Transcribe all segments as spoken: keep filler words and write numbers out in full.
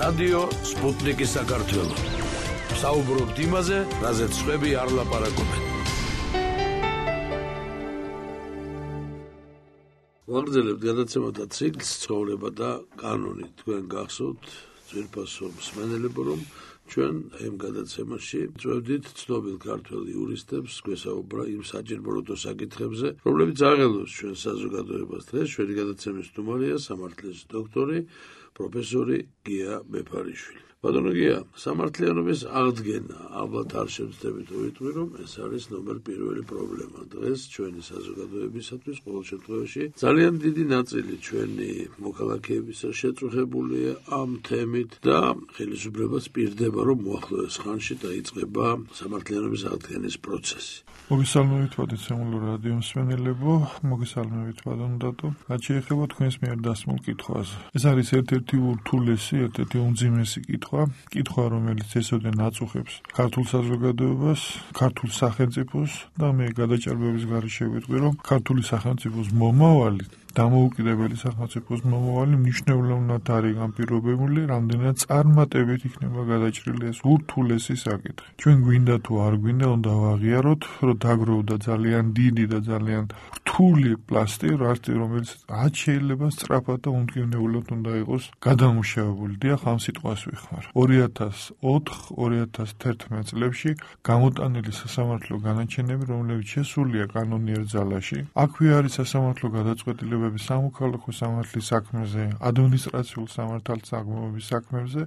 რადიო სპუტნიკის საქართველო. საუბრობთ იმაზე, რაზეც სხვები არ ლაპარაკობენ. ვაგრძელებთ გადაცემათა ციკლს ცხოვრება და კანონი. თქვენ გახსოვთ ძვირფასო მსმენელებო, რომ ჩვენ ამ გადაცემაში წვევდით ცნობილ ქართველ იურისტებს გვესაუბრა იმ საჭიროებო საკითხებზე, რომლებიც აღელვებს ჩვენ საზოგადოებას დღეს. ჩვენი გადაცემის სტუმარია სამართლის დოქტორი, პროფესორი გია ბეფარიშვილი. ბატონო გია, სამართლიანობის აღდგენა, ალბათ არ შევძდებით ვიტყვი, რომ ეს არის ნომერ პირველი პრობლემა დღეს ჩვენი საზოგადოებისათვის. ყოველ შემთხვევაში ძალიან დიდი ნაწილი ჩვენი მოქალაქეებისა შეწუხებულია ამ თემით და ხელისუფლებას პირდება, რომ მოახლოეს ხანში დაიწყება სამართლიანობის აღდგენის პროცესი. მოგესალმებით პატიცემულო რადიო მსმენელებო, მოგესალმებით ბატონო დათო. რაც შეეხება თქვენს მიერ დასმულ კითხვას. ეს არის ერთ-ერთი ურთულესი, ერთ-ერთი უმძიმესი კითხვა, კითხვა, რომელიც ესოდენ აწუხებს ქართულ საზოგადოებას, ქართულ სახელმწიფოს და მე გადაჭარბების გარეშე ვიტყვი, რომ ქართული სახელმწიფოს მომავალი, დამოუკიდებელი სახელმწიფოს მომავალი მნიშვნელოვნად არის განპირობებული, რამდენად წარმატებით იქნება გადაჭრილი ეს ურთულესი საკითხი. ჩვენ გვინდა თუ არ გვინდა, უნდა ვაღიაროთ, რომ დაგროვდა ძალიან დიდი და ძალიან რთული პლასტი, რომელიც რაც შეიძლება სწრაფად და უმტკივნეულად უნდა იყოს გადამუშავებული. დიახ, ამ სიტყვას ვიხმარ. ორი ათას ოთხ ორი ათას თერთმეტ წლებში გამოტანილი სასამართლო განაჩენები, რომლებიც შესულია კანონიერ ძალაში, აქვე არის სასამართლო გადაწყვეტილება სამოქალაქო სამართლის საქმეზე, ადმინისტრაციულ სამართალსაღმოების საქმეებზე,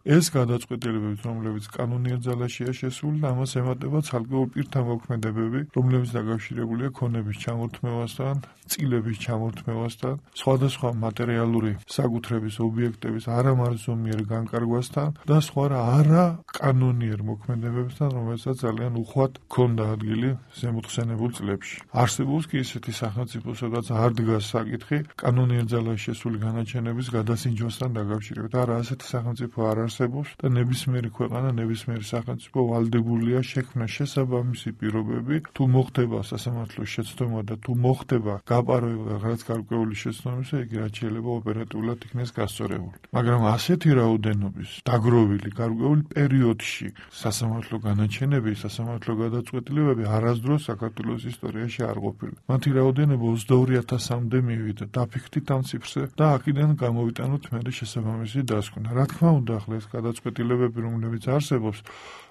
ეს გადაწყვეტილებები, რომლებიც კანონიერ ძალაშია შესული და ამას ემატება ცალკეულ პირთა მოქმედებები, რომლებიც დაკავშირებულია ქონების ჩამორთმევასთან, წილების ჩამორთმევასთან, სხვადასხვა მატერიალური საკუთრების ობიექტების არამარზომიერ განკარგვასთან და სხვა არა კანონიერ მოქმედებებთან, რომელსაც ძალიან უხვად ჰქონდა ადგილი ზემოხსენებულ წლებში. არსებობს კი ისეთი სახელმწიფო, სადაც არ დგას საკითხი კანონიერ ძალაში შესული განაჩენების გადასინჯვასთან დაკავშირებით. არა, ასეთი სახელმწიფო არ არსებობს და ნებისმიერი ქვეყანა, ნებისმიერი სახელმწიფო ვალდებულია შექმნა შესაბამისი პირობები, თუ მოხდება სასამართლოს შეცდომა და თუ მოხდება გაპაროება რაღაც გარკვეული შეცდომისა, იგი რაც შეიძლება ოპერატიულად იქნეს გასწორებული. მაგრამ ასეთი რაოდენობის დაგროვილი გარკვეულ პერიოდში სასამართლო განაჩენები, სასამართლო გადაწყვეტილებები არასდროს საქართველოს ისტორიაში არ ყოფილა. მათი რაოდენობა ოცდაორი ათასამდე მივიდა. დაფიქრდით ამ ციფრზე და აქედან გამოვიტანოთ მერე შესაბამისი დასკვნა. რა თქმა უნდა, ახლა ეს გადაწყვეტილებები, რომლებიც არსებობს,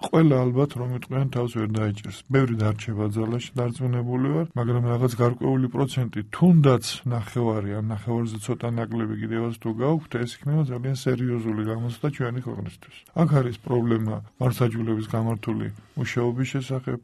ყველა ალბათ რომ იტყვიან თავს ვერ დაიჭერს. ბევრი დარჩება ძალაში, დარწმუნებული ვარ, მაგრამ რაღაც გარკვეული პროცენტი, თუნდაც ნახევარი, ან ნახევარზე ცოტა ნაკლები კიდევაც თუ გაუქვთ, ეს იქნება ძალიან სერიოზული გამოცდა ჩვენი ქვეყნისთვის. აქ არის პრობლემა მართლმსაჯულების გამართული მუშაობის შესახებ,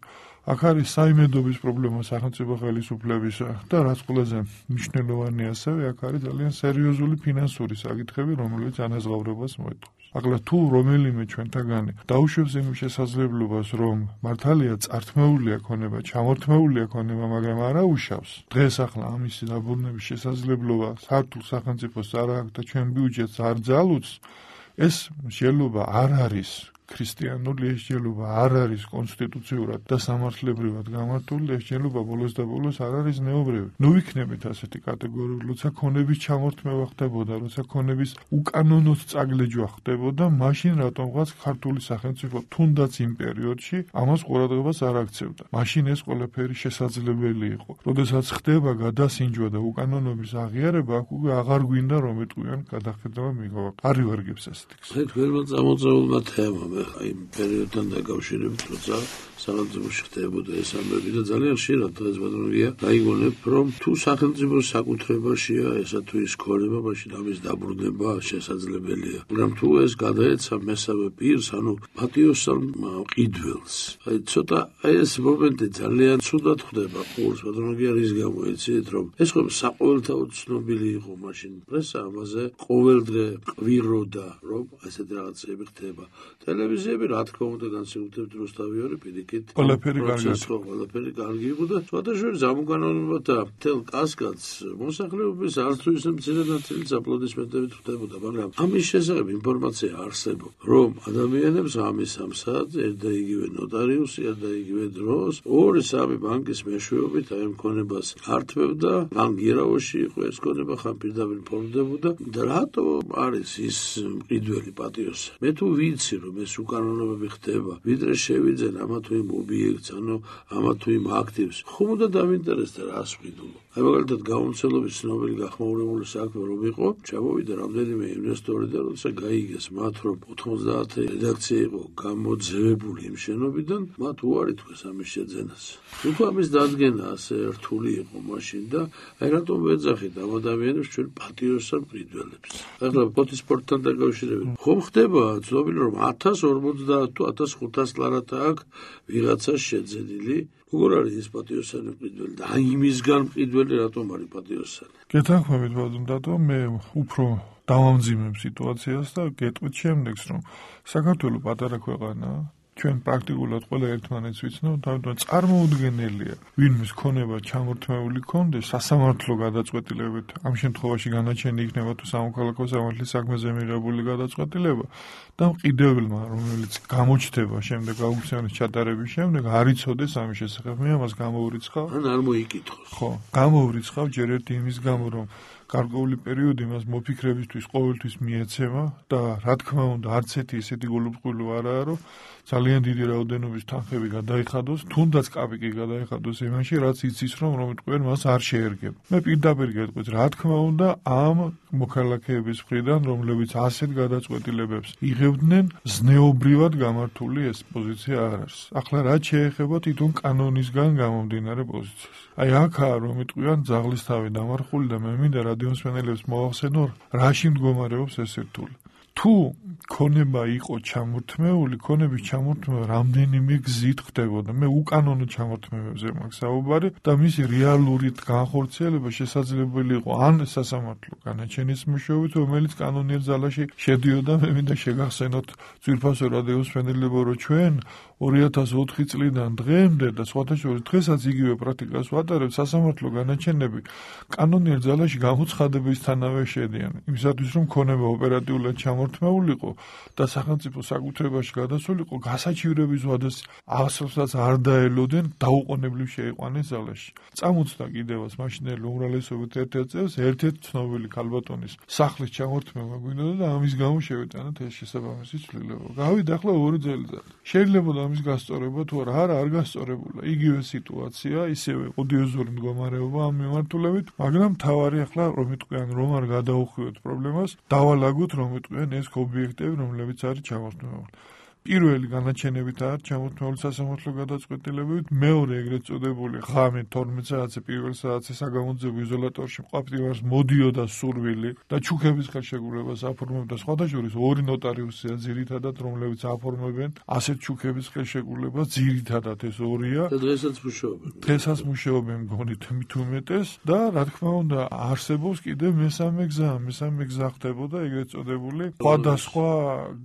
აქ არის საიმედობის პრობლემა სახელმწიფო ხელისუფლებისა და რაც ყველაზე მნიშვნელოვანია ასევე, აქ არის ძალიან სერიოზული ფინანსური საკითხები, რომელიც ანაზღაურებას მოეთხოვს. ახლა თუ რომელიმე ჩვენთაგანი დაუშვებს იმის შესაძლებლობას, რომ მართალია წართმეულია ქონება, ჩამორთმეულია ქონება, მაგრამ არ აუშავს, დღეს ახლა ამის დაბრუნების შესაძლებლობა ქართულ სახელმწიფოს არ აქვს და ჩვენ ბიუჯეტს არ ძალუძს, ეს შეიძლება არ არის ქრისტიანული, ეს შეიძლება არ არის კონსტიტუციურად და სამართლებრივად გამართული, ეს შეიძლება ბოლოს და ბოლოს არ არის ზნეობრივი. ნუ ვიქნებით ასეთი კატეგორიული, როცა ქონების ჩამორთმევა ხდებოდა, როცა ქონების უკანონოდ წაგლეჯვა ხდებოდა, მაშინ რატომღაც ქართული სახელმწიფო თუნდაც იმ პერიოდში ამას ყურადღებას არ აქცევდა. მაშინ ეს ყველაფერი შესაძლებელი იყო. როდესაც ხდება გადასინჯვა და უკანონობის აღიარება, აქ უკვე აღარ გვინდა რომ ეტყვიან გადახედვა მიღება. არ ივარგებს ასეთი გზა. თქვენმა წამოწეულმა თემამ იმ პერიოდთან დაკავშირებით, როცა სახელმწიფოში ხდებოდა ეს ამბები და ძალიან ხშირად დღეს ბატონო გია დაიგონებ, რომ თუ სახელმწიფოს საკუთრებაშია ესა თუ ის ქონება, მაშინ ამის დაბრუნება შესაძლებელია. მაგრამ თუ ეს გადაეცა მესამე პირს, ანუ პატიოსან მყიდველს, აი ცოტა ეს მომენტი ძალიან ცუდად ხდება ყოველს ბატონო გია, რის გამო იცით, რომ ეს ხო საყოველთაოდ ცნობილი იყო მაშინ პრესა ამაზე ყოველდღე ყვიროდა, რომ ასეთი რაღაცები ხდება. ტელევიზიები, რა თქმა უნდა, განსაკუთრებით რუსთავი პირიქით. ყველაფერი კარგი. ყველაფერი კარგი იყო და სხვადასხვა სამკანონმდებლობათა მთელ კასკადს მოსახლეობის არც თუ ისე მცირე ნაწილიც აპლოდისმენტებით ხვდებოდა, მაგრამ ამის შესახებ ინფორმაცია არსებობს, რომ ადამიანებს ამის ამ საათზე ერთ და იგივე ნოტარიუსი, ერთ და იგივე დროს ორი სამი ბანკის მეშვეობით აი ამ ქონებას ართმევდა, ან გირაოში იყო ეს ქონება, ხან პირდაპირ ფორმდებოდა და რატო არის ის მყიდველი პატიოსანი? მე თუ ვიცი, რომ ეს უკანონოებები ხდება, ვიდრე შევიძენ ამა თუ იმ ობიექტს, ანუ ამა თუ იმ აქტივს, ხომ უნდა დავინტერესდა რას ვყიდულობ? აი მაგალითად გამომცემლობის ცნობილი გახმაურებული საქმე რომ იყო, ჩამოვიდა რამდენიმე ინვესტორი და როცა გაიგეს მათ, რომ ოთხმოცდაათი რედაქცია იყო გამოძევებული იმ შენობიდან, მათ უარი თქვეს ამის შეძენას. თუ ამის დადგენა ასე რთული იყო მაშინ და აი რატომ ვეძახით ამ ადამიანებს ჩვენ პატიოსან მყიდველებს? ახლა ფოტოსპორტთან დაკავშირებით ხომ ხდება ცნობილი რომ ათას ორმოცდაათ თუ ათას ხუთას ლარათა აქვს ვიღაცას შეძენილი? როგორ არის ეს პატიოსანი მყიდველი და აი იმისგან მყიდველი რატომ არის პატიოსანი? გეთანხმებით ბატონო, მე უფრო დავამძიმებ სიტუაციას და გეტყვით შემდეგს, რომ საქართველოს პატარა ქვეყანაა, ჩვენ პრაქტიკულად ყველა ერთმანეთს ვიცნობთ, თუმცა წარმოუდგენელია, ვინმეს ქონება ჩამორთმეული კონდეს სასამართლო გადაწყვეტილებით, ამ შემთხვევაში განაჩენი იქნება თუ სამოქალაქო სამართლის საქმეზე მიღებული გადაწყვეტილება და მყიდველმა, რომელიც გამოჩნდება შემდეგ აუქციონის ჩატარების შემდეგ, არ იცოდეს ამის შესახებ. მე ამას გამოვრიცხავ. ან არ მოიკითხოს. ხო, გამოვრიცხავ ჯერ ერთი იმის გამო, რომ გარკვეული პერიოდი მას მოფიქრებისთვის ყოველთვის მიეცემა და რა თქმა უნდა არც ერთი ისეთი გულუბრყვილო არაა, რომ ძალიან დიდი რაოდენობის თანხები გადაიხადოს, თუნდაც კაპიკი გადაიხადოს იმაში, რაც იცის, რომ რომიტყვენ მას არ შეერგება. მე პირდაპირ გეტყვით, რა თქმა უნდა, ამ მოქალაქეების მხრიდან, რომლებიც ასეთ გადაწყვეტილებებს იღებდნენ, ზნეობრივად გამართული ეს პოზიცია არ არის. ახლა რაც შეეხება თვითონ კანონისგან გამომდინარე პოზიციას. აი აქაა რომიტყვიან ძაღლის თავი დამარხული და მე მინდა რადიომსმენელებს მოახსენო, რაში მდგომარეობს ეს ერთული. თუ ქონება იყო ჩამორთმეული, ქონების ჩამორთმევა რამდენიმე გზით ხდებოდა. მე უკანონო ჩამორთმევებზე მაქვს საუბარი და მისი რეალური განხორციელება შესაძლებელი იყო ან სასამართლო განაჩენის მეშვეობით, რომელიც კანონიერ ზალაში შედიოდა. მე მინდა შეგახსენოთ ძვირფასო რადიომსმენელებო, რომ ჩვენ ორი ათას ოთხი წლიდან დღემდე და სხვათა შორის დღესაც იგივე პრაქტიკას ვატარებთ, სასამართლო განაჩენები კანონიერ ზალაში გამოცხადებისთანავე შედიან. იმისათვის რომ ქონება ოპერატიულად ჩამორთმეულიყო და სახელმწიფო საკუთრებაში გადასულიყო, გასაჩივრების ვადას ასოსაც არ დაელოდნენ, დაუყოვნებლივ შეიყვანეს ზალაში. წამოწდა კიდევაც მაშინელი უმრავლესობით ერთ-ერთ წელს ერთ-ერთ ცნობილი ქალბატონის სახლის ჩამორთმევა გვინდოდა და ამის გამო შევიტანეთ ეს შესაბამისი ცვლილება. გავიდა ახლა ორი წელიწადი. შეიძლება ამის გასწორება თუ არა, არა არ გასწორებულა. იგივე სიტუაცია, ისევე ოდიოზური მდგომარეობა ამ მიმართულებით, მაგრამ თავარი ახლა რომ იტყვიან რომ არ გადაუხვიოთ პრობლემას, დავალაგოთ რომ იტყვიან ეს ობიექტები, რომლებიც არის ჩამორთმეული. პირველი განაჩენებით არის ჩამორთმეული სასამართლო გადაწყვეტილებებით, მეორე ეგრეთ წოდებული ღამე თორმეტ საათზე პირველ საათზე საგამოძიებო იზოლატორში მყოფნივარს მოდიოდა სურვილი და ჩუქების ხელშეკრულებას აფორმებდა სხვათა შორის ორი ნოტარიუსია ძირითადად, რომლებიც აფორმებენ ასეთ ჩუქების ხელშეკრულებას, ძირითადად ეს ორია. და დღესაც მუშაობენ. დღესაც მუშაობენ მგონი თუ უმეტეს და რა თქმა უნდა არსებობს კიდევ მესამე გზა, მესამე გზა ხდებოდა ეგრეთ წოდებული სხვადასხვა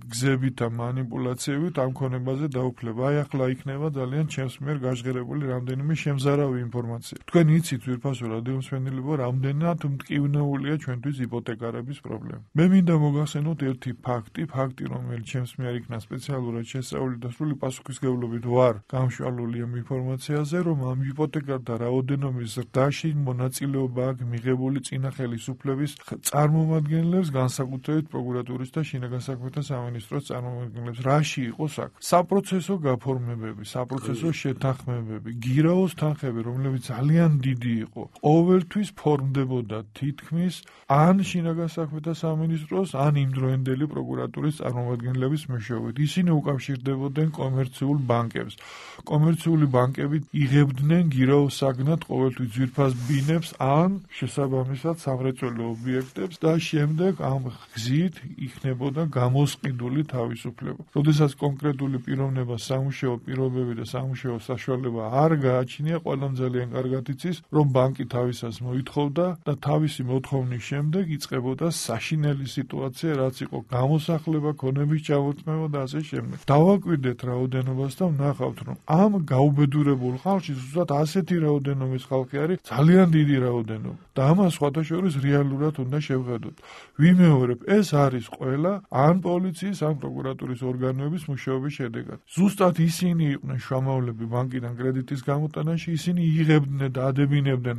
გზებით და მანიპულაციებით ამ ქონებაზე დაუფლება. აი ახლა იქნება ძალიან ჩემს მიერ გაჟღერებული რამდენიმე შემზარავი ინფორმაცია. თქვენ იცით ძვირფასო რადიომსმენელებო, რამდენად მტკივნეულია ჩვენთვის იპოთეკარების პრობლემა. მე მინდა მოგახსენოთ ერთი ფაქტი, ფაქტი რომელიც ჩემს მიერ იქნა სპეციალურად შესწავლილი და სრული პასუხისმგებლობით ვარ გამშვალული ამ ინფორმაციაზე, რომ ამ იპოთეკართა რაოდენობის ზრდაში მონაწილეობა აქვს მიღებული წინა ხელისუფლების წარმომადგენლებს, განსაკუთრებით პროკურატურის და შინაგან საქმეთა სამინისტროს წარმომადგენლებს. რაში იყო საქმე? საპროცესო გაფორმებები, საპროცესო შეთანხმებები, გირაოს თანხები, რომლებიც ძალიან დიდი იყო, ყოველთვის ფორმდებოდა თითქმის ან შინაგან საქმეთა სამინისტროს, ან იმდროინდელი პროკურატურის წარმომადგენლების მეშვეობით. ისინი უკავშირდებოდნენ კომერციულ ბანკებს. კომერციული ბანკები იღებდნენ გირაოს საგნად ყოველთვის ძვირფას ბინებს ან შესაბამისად სამრეწველო ობიექტებს და შემდეგ ამ გზით იქნებოდა გამოსყიდული თავისუფლება. როდესაც მას კონკრეტული პიროვნება, სამუშაო პირობები და სამუშაო საშუალება არ გააჩნია, ყველამ ძალიან კარგად იცის, რომ ბანკი თავისას მოითხოვდა და თავისი მოთხოვნის შემდეგ იწყებოდა საშინელი სიტუაცია, რაც იყო გამოსახლება, ქონების ჩამორთმევა და ასე შემდეგ. დავაკვირდეთ რაოდენობას და ვნახავთ, რომ ამ გაუბედურებულ ხალხში ზუსტად ასეთი რაოდენობის ხალხი არის ძალიან დიდი რაოდენობა და ამას სხვადასხვა რეალურად უნდა შევხედოთ. ვიმეორებ, ეს არის ყველა ან პოლიციის, ან პროკურატურის ორგანოების მუშაობის შედეგად. ზუსტად ისინი იყვნენ შუამავლები ბანკიდან კრედიტის გამოტანაში, ისინი იღებდნენ და ადებინებდნენ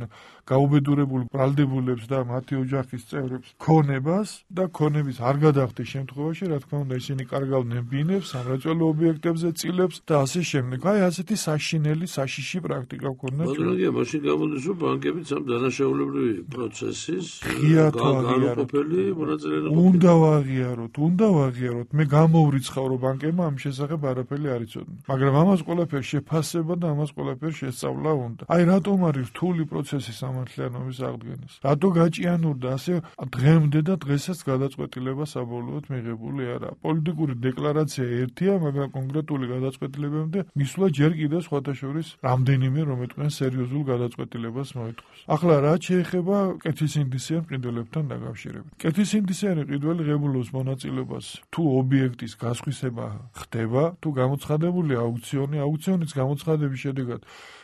გაუბედურებულ ბრალდებულებს და მათი ოჯახის წევრებს ქონებას და ქონების არ გადახდის შემთხვევაში, რა თქმა უნდა, ისინი კარგავდნენ ბინებს, სამრეწველო ობიექტებზე წილებს და ასე შემდეგ. აი ასეთი საშინელი, საშიში პრაქტიკა ქონდა. მაგრამ მაშინ გამოდის, რომ ბანკებიც ამ დანაშაულებრივი პროცესის განუყოფელი მონაწილე უნდა ვაღიაროთ, უნდა ვაღიაროთ. მე გამოვრიცხავ, რომ ბანკებმა ამ შესახებ არაფერი არ იცოდნენ. მაგრამ ამას ყველაფერს შეფასება და ამას ყველაფერს შესწავლა უნდა. აი რატომ არის რთული პროცესი სამართლიანობის აღდგენას? რატო გაჭიანურდა ასე დღემდე და დღესაც გადაწყვეტილება საბოლოოდ მიღებული არაა? პოლიტიკური დეკლარაცია ერთია, მაგრამ კონკრეტული გადაწყვეტილებამდე მისვლა ჯერ კიდევ სხვადასხვა რამდენიმე რომ ეთქვენ სერიოზულ გადაწყვეტილებას მოითხოვს. ახლა რაც შეეხება კეთილსინდისიან მყიდველებთან დაკავშირებით. კეთილსინდისიანი მყიდველი ღებულობს მონაწილეობას თუ ობიექტის გასხვისება ხდება, თუ გამოცხადებული აუქციონი, აუქციონის გამოცხადების შედეგად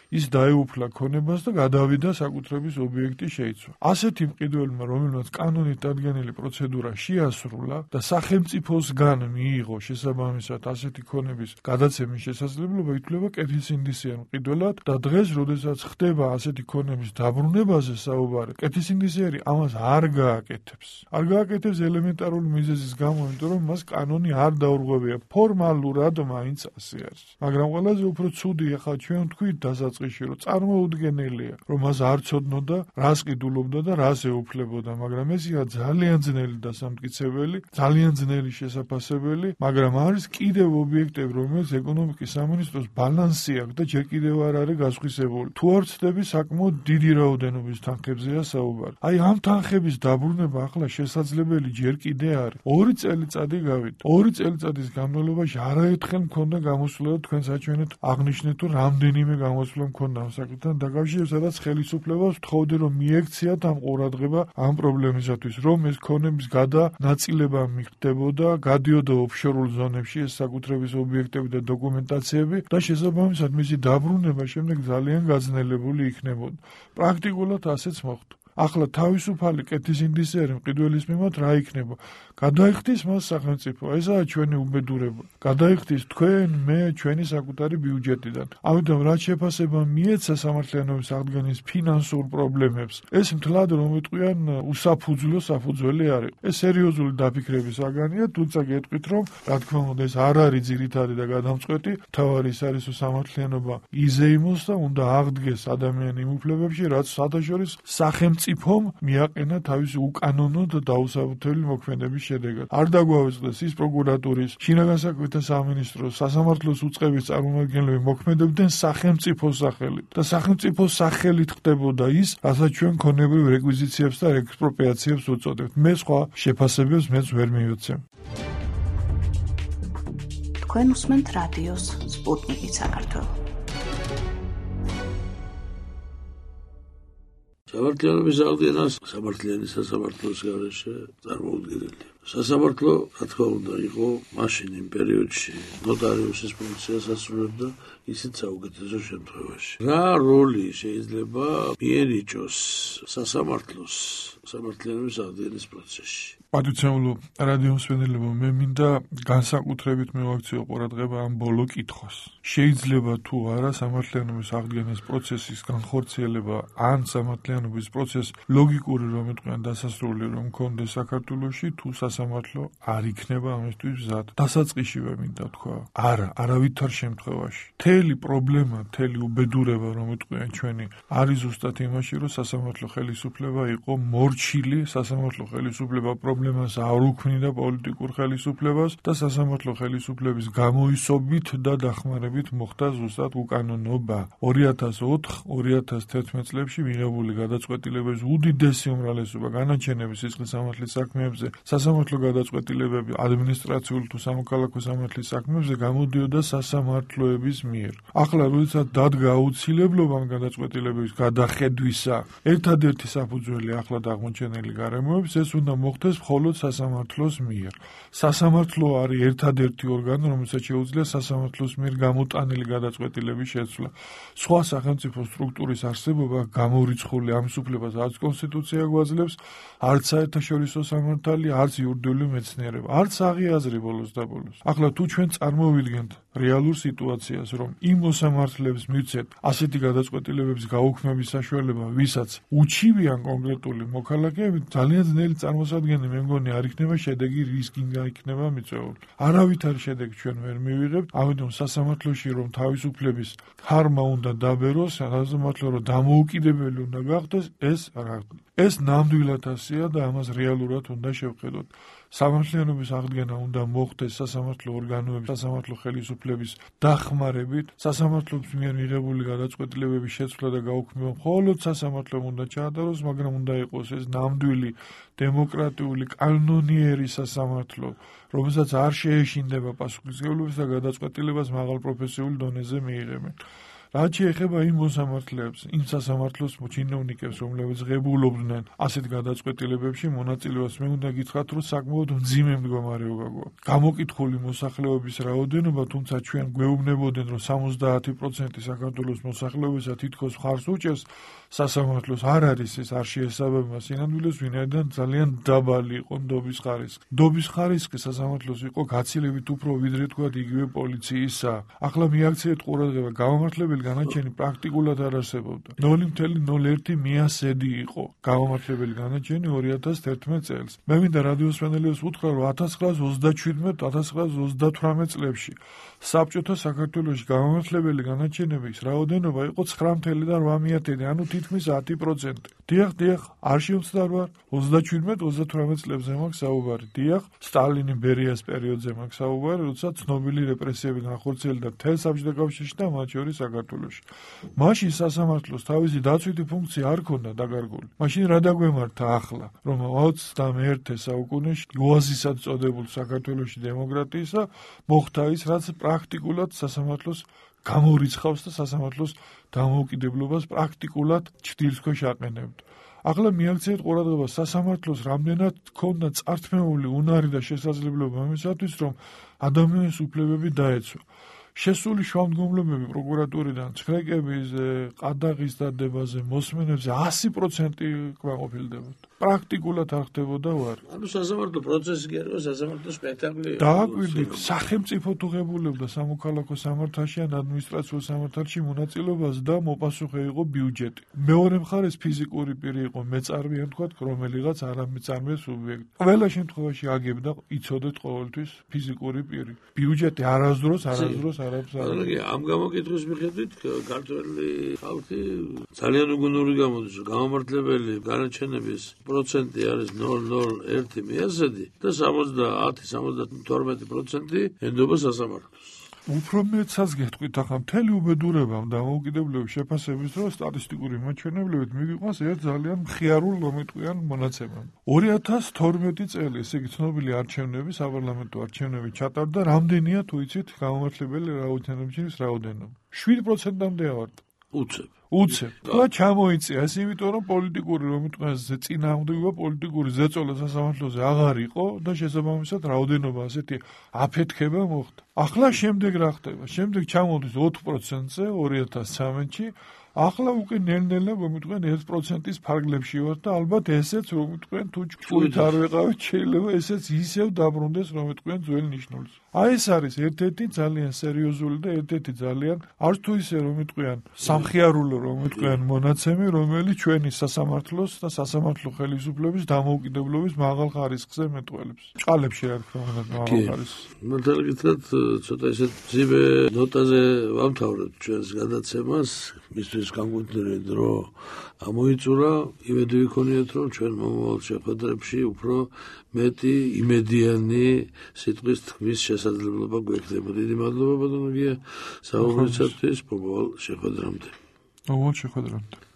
ის დაეუფლა ქონებას და გადავიდა საკუთრების ობიექტი შეიცვა. ასეთი მყიდველმა, რომელმაც კანონით დადგენილი პროცედურა შეასრულა და სახელმწიფოსგან მიიღო შესაბამისად ასეთი ქონების გადაცემის შესაძლებლობა, ითვლება კეთილსინდისიან მყიდველად და დღეს, როდესაც ხდება ასეთი ქონების დაბრუნებაზე საუბარი, კეთილსინდისიერი ამას არ გააკეთებს. არ გააკეთებს ელემენტარული მიზეზის გამო, იმიტომ რომ მას კანონი არ დაურღვევია. ფორმალურად მაინც ასე არის. მაგრამ ყველაზე უფრო ცუდი ახლა ჩვენ ვთქვით დასაწყისში, რომ წარმოუდგენელია, რომ მას არ ცოდნოდა, რას ყიდულობდა და რას ეუფლებოდა, მაგრამ ეს იყო ძალიან ძნელი დასამტკიცებელი, ძალიან ძნელი შესაფასებელი, მაგრამ არის კიდევ ობიექტები, რომელიც ეკონომიკის სამინისტროს ბალანსი აქვს და ჯერ კიდევ არ არის გასხვისებული. თუ არ ვცდები, საკმაოდ დიდი რაოდენობის თანხებზეა საუბარი. აი ამ თანხების დაბრუნება ახლა შესაძლებელი ჯერ კიდე არის. ორი წელიწადი გავიდა. ორი წელიწადის განმავლობაში არაერთხელ მქონდა გამოსვლა, თქვენ საჩვენეთ აღნიშნეთ, თუ რამდენიმე გამოსვლა მქონდა ამ საკითხთან დაკავშირებით, სადაც ხელისუფლებას ვთხოვდი, რომ მიექციათ ამ ყურადღება ამ პრობლემისათვის, რომ ეს ქონების გადანაწილება მიხდებოდა, გადიოდა ოფშორულ ზონებში ეს საკუთრების ობიექტები და დოკუმენტაციები და შესაბამისად მისი დაბრუნება შემდეგ ძალიან გაძნელებული იქნებოდა. პრაქტიკულად ასეც მოხდა. ახლა თავისუფალი კეთილსინდისიერი მყიდველის მიმართ რა იქნება? გადაიხდის მას სახელმწიფო. ესაა ჩვენი უბედურება. გადაიხდის თქვენ, მე, ჩვენი საკუთარი ბიუჯეტიდან. ამიტომ რაც შეფასება მიეცა სამართლიანობის აღდგენის ფინანსურ პრობლემებს, ეს მთლად რომ ვიტყვიან უსაფუძვლო საფუძველი არის. ეს სერიოზული დაფიქრების საგანია, თუმცა გეტყვით, რომ რა თქმა უნდა ეს არ არის ძირითადი და გადამწყვეტი. თავარი ის არის, რომ სამართლიანობა იზეიმოს და უნდა აღდგეს ადამიანი იმ უფლებებში, რაც საერთაშორისო სახელმწიფომ მიაყენა თავისი უკანონო და დაუსაბუთებელი მოქმედების შედეგად. არ დაგვაუწყდეს ის პროკურატურის, შინაგან საქმეთა სამინისტროს, სასამართლოს უწყების წარმომადგენლები მოქმედებდნენ სახელმწიფოს სახელით და სახელმწიფოს სახელით ხდებოდა ის, რასაც ჩვენ ქონებრივ რეკვიზიციებს და ექსპროპრიაციებს უწოდებთ. მე სხვა შეფასებებს მეც ვერ მივოცემ. თქვენ უსმენთ რადიოს სპუტნიკი საქართველო. სამართლიანობის აღდგენას სამართლიანი სასამართლოს გარეშე წარმოუდგენელი. სასამართლო, რა თქმა უნდა, იყო მაშინ იმ პერიოდში ნოტარიუსის ფუნქციას ასრულებდა, ისიც საუკეთესო შემთხვევაში. რა როლი შეიძლება მიენიჭოს სასამართლოს სამართლიანობის აღდგენის პროცესში? პატრიცემულო რადიო მსმენელებო, მე მინდა განსაკუთრებით მივაქციო ყურადღება ამ ბოლო კითხვას. შეიძლება თუ არა სამართლიანობის აღდგენის პროცესის განხორციელება ან სამართლიანობის პროცესს ლოგიკური რომ იტყვიან დასასრული რომ მქონდეს საქართველოში, თუ სასამართლო არ იქნება ამისთვის მზად. დასაწყისშივე მინდა თქვა, არა, არავითარ შემთხვევაში. მთელი პრობლემა, მთელი უბედურება რომ იტყვიან ჩვენი არის ზუსტად იმაში, რომ სასამართლო ხელისუფლება იყო მორჩილი, სასამართლო ხელისუფლება პრობლემას არ უქმნიდა პოლიტიკურ ხელისუფლებას და სასამართლო ხელისუფლების გამოისობით და დახმარებით მოხდა ზუსტად უკანონობა. ორი ათას ოთხ ორი ათას თერთმეტ წლებში მიღებული გადაწყვეტილებების უდიდესი უმრავლესობა განაჩენების სისხლის სამართლის საქმეებზე, სასამართლო გადაწყვეტილებები ადმინისტრაციული თუ სამოქალაქო სამართლის საქმეებზე გამოდიოდა სასამართლოების მიერ. ახლა როდესაც დადგა აუცილებლობა ამ გადაწყვეტილებების გადახედვისა, ერთადერთი საფუძველი ახლად აღმოჩენილი გარემოების ეს უნდა მოხდეს მხოლოდ სასამართლოს მიერ. სასამართლო არის ერთადერთი ორგანო, რომელსაც შეუძლია სასამართლოს მიერ გამოტანილი გადაწყვეტილების შეცვლა. სხვა სახელმწიფო სტრუქტურის არსებობა გამორიცხული ამ უფლებას არც კონსტიტუცია გვაძლევს, არც საერთაშორისო სამართალი, არც იურიდიული მეცნიერება, არც აღიაზრი ბოლოს და ბოლოს. ახლა თუ ჩვენ წარმოვიდგენთ რეალურ სიტუაციას, რომ იმ მოსამართლეებს მივცეთ ასეთი გადაწყვეტილებების გაუქმების საშუალება, ვისაც უჩივიან კონკრეტული მოქალაქეები, ძალიან ძნელი წარმოსადგენელი მე მგონი არ იქნება შედეგი რისკინგა იქნება მიწვეული. არავითარი შედეგი ჩვენ ვერ მივიღებთ, ამიტომ სასამართლოში რომ თავისუფლების ხარმა უნდა დაბეროს, სასამართლო რომ დამოუკიდებელი უნდა გახდეს, ეს რა ეს ნამდვილად ასეა და ამას რეალურად უნდა შევხედოთ. სამართლიანობის აღდგენა უნდა მოხდეს სასამართლო ორგანოების, სასამართლო ხელისუფლების დახმარებით, სასამართლოს მიერ მიღებული გადაწყვეტილებების შეცვლა და გაუქმება მხოლოდ სასამართლომ უნდა ჩაატაროს, მაგრამ უნდა იყოს ეს ნამდვილი დემოკრატიული კანონიერი სასამართლო, რომელსაც არ შეეშინდება პასუხისმგებლობის და გადაწყვეტილებას მაღალ პროფესიულ დონეზე მიიღებენ. რაც შეეხება იმ მოსამართლეებს, იმ სასამართლოს чиновникებს, რომლებიც ღებულობდნენ ასეთ გადაწყვეტილებებში მონაწილეობას, მე უნდა გითხრათ, რომ საკმაოდ მძიმე მდგომარეობა გვაქვს. გამოკითხული მოსახლეობის რაოდენობა, თუმცა ჩვენ გვეუბნებოდნენ, რომ სამოცდაათი პროცენტი საქართველოს მოსახლეობისა თითქოს მხარს უჭერს სასამართლოს, არ არის ეს, არ შეესაბამება სინამდვილეს, ვინაიდან ძალიან დაბალი იყო ნდობის ხარისხი. ნდობის ხარისხი სასამართლოს იყო გაცილებით უფრო ვიდრე თქვათ იგივე პოლიციისა. ახლა მიაქციეთ ყურადღება, გამომართლებელი განაჩენი პრაქტიკულად არ არსებობდა. ნული ნული ნული ერთი მიასედი იყო გამომართლებელი განაჩენი ორი ათას თერთმეტ წელს. მე მინდა რადიოს მსმენელებს უთხრა, რომ ათას ცხრაას ოცდაჩვიდმეტ ათას ცხრაას ოცდათვრამეტ წლებში საბჭოთა საქართველოში გამომართლებელი განაჩენების რაოდენობა იყო ცხრა და რვა მეათედი, ანუ თითქმის ათი პროცენტი. დიახ, დიახ, არ შემცდარ ვარ, ოცდაჩვიდმეტ ოცდათვრამეტ წლებზე მაქვს საუბარი. დიახ, სტალინი ბერიას პერიოდზე მაქვს საუბარი, როდესაც ცნობილი რეპრესიები განხორციელდა მთელ საბჭოთა კავშირში და მათ შორის საქართველოში. მაშინ სასამართლოს თავისი დაცვითი ფუნქცია არ ქონდა დაკარგული. მაშინ რა დაგვემართა ახლა, რომ ოცდამეერთე საუკუნეში ოაზისად წოდებულ საქართველოში დემოკრატიისა მოხდა ის, რაც პრაქტიკულად სასამართლოს გამორიცხავს და სასამართლოს დამოუკიდებლობას პრაქტიკულად ჩრდილის ქვეშ აყენებდა. ახლა მიაქციეთ ყურადღება, სასამართლოს რამდენად ჰქონდა წართმეული უნარი და შესაძლებლობა იმისათვის, რომ ადამიანის უფლებები დაეცვა. შესული შუამდგომლობები პროკურატურიდან ცხრეკებიზე, ყადაღის დადებაზე, მოსმენებზე ასი პროცენტი კმაყოფილდებოდა. პრაქტიკულად არ ხდებოდა ვარ. ანუ სასამართლო პროცესი კი არის, სასამართლო სპექტაკლი. დააკვირდით, სახელმწიფო თუ ღებულებდა სამოქალაქო სამართალში ან ადმინისტრაციულ სამართალში მონაწილეობას და მოპასუხე იყო ბიუჯეტი. მეორე მხარეს ფიზიკური პირი იყო მეწარმე, ან თქვათ, რომელიღაც არამეწარმე სუბიექტი. ყველა შემთხვევაში აგებდა, იცოდეთ ყოველთვის ფიზიკური პირი. ბიუჯეტი არასდროს, არასდროს ანუ ამ გამოკითხვის მიხედვით ქართველი ხალხი ძალიან უგუნური გამოდის, რომ გამომართლებელი განაჩენების პროცენტი არის ნული ნული ერთი მიასედი და სამოცდაათი სამოცდათორმეტი პროცენტი ენდობა სასამართლოს. უფრო მეცაც გეტყვით, ახლა მთელი უბედურება დამოუკიდებლობის შეფასების დროს სტატისტიკური მაჩვენებლებით მიგვიყვანს ერთ ძალიან მხიარულ მომიტყვიან მონაცემად. ორი ათას თორმეტი წელი, ესე იგი ცნობილი არჩევნები, საპარლამენტო არჩევნები ჩატარდა, რამდენია თუ იცით გამომართლებელი რაოდენობების რაოდენობა? შვიდ პროცენტამდე ავარდა. უცებ. უცებ. და ჩამოიწია ეს იმიტომ, რომ პოლიტიკური რომიტყვას წინააღმდეგობა პოლიტიკური ზეწოლა სასამართლოზე აღარ იყო და შესაბამისად რაოდენობა ასეთი აფეთქება მოხდა. ახლა შემდეგ რა ხდება? შემდეგ ჩამოვდის ოთხ პროცენტზე ორი ათას ცხრამეტში, ახლა უკვე ნელ-ნელა მომიტყვენ ერთ პროცენტის ფარგლებში ვარ და ალბათ ესეც რომიტყვენ თუ ჭკუით არ ვეყავით, შეიძლება ესეც ისევ დაბრუნდეს რომიტყვენ ძველ ნიშნულს. აი ეს არის ერთ-ერთი ძალიან სერიოზული და ერთ-ერთი ძალიან არც თუ ისე რომიტყვიან სამხიარულო რომიტყვიან მონაცემი, რომელიც ჩვენი სასამართლოს და სასამართლო ხელისუფლების დამოუკიდებლობის მაღალ ხარისხზე მეტყველებს. ჭყალებში რა თქმა უნდა მაღალ ხარისხს. მართალი გითხრათ, ცოტა ისეთ მძიმე ნოტაზე ვამთავრებთ ჩვენს გადაცემას, მისთვის განკვეთილი დრო ამოიწურა, იმედი ვიქონიათ, რომ ჩვენ მომავალ შეხვედრებში უფრო მეტი იმედიანი სიტყვის თქმის შესაძლებლობა გვექნება. დიდი მადლობა ბატონო გია საუბრისათვის, მომავალ შეხვედრამდე. მომავალ შეხვედრამდე.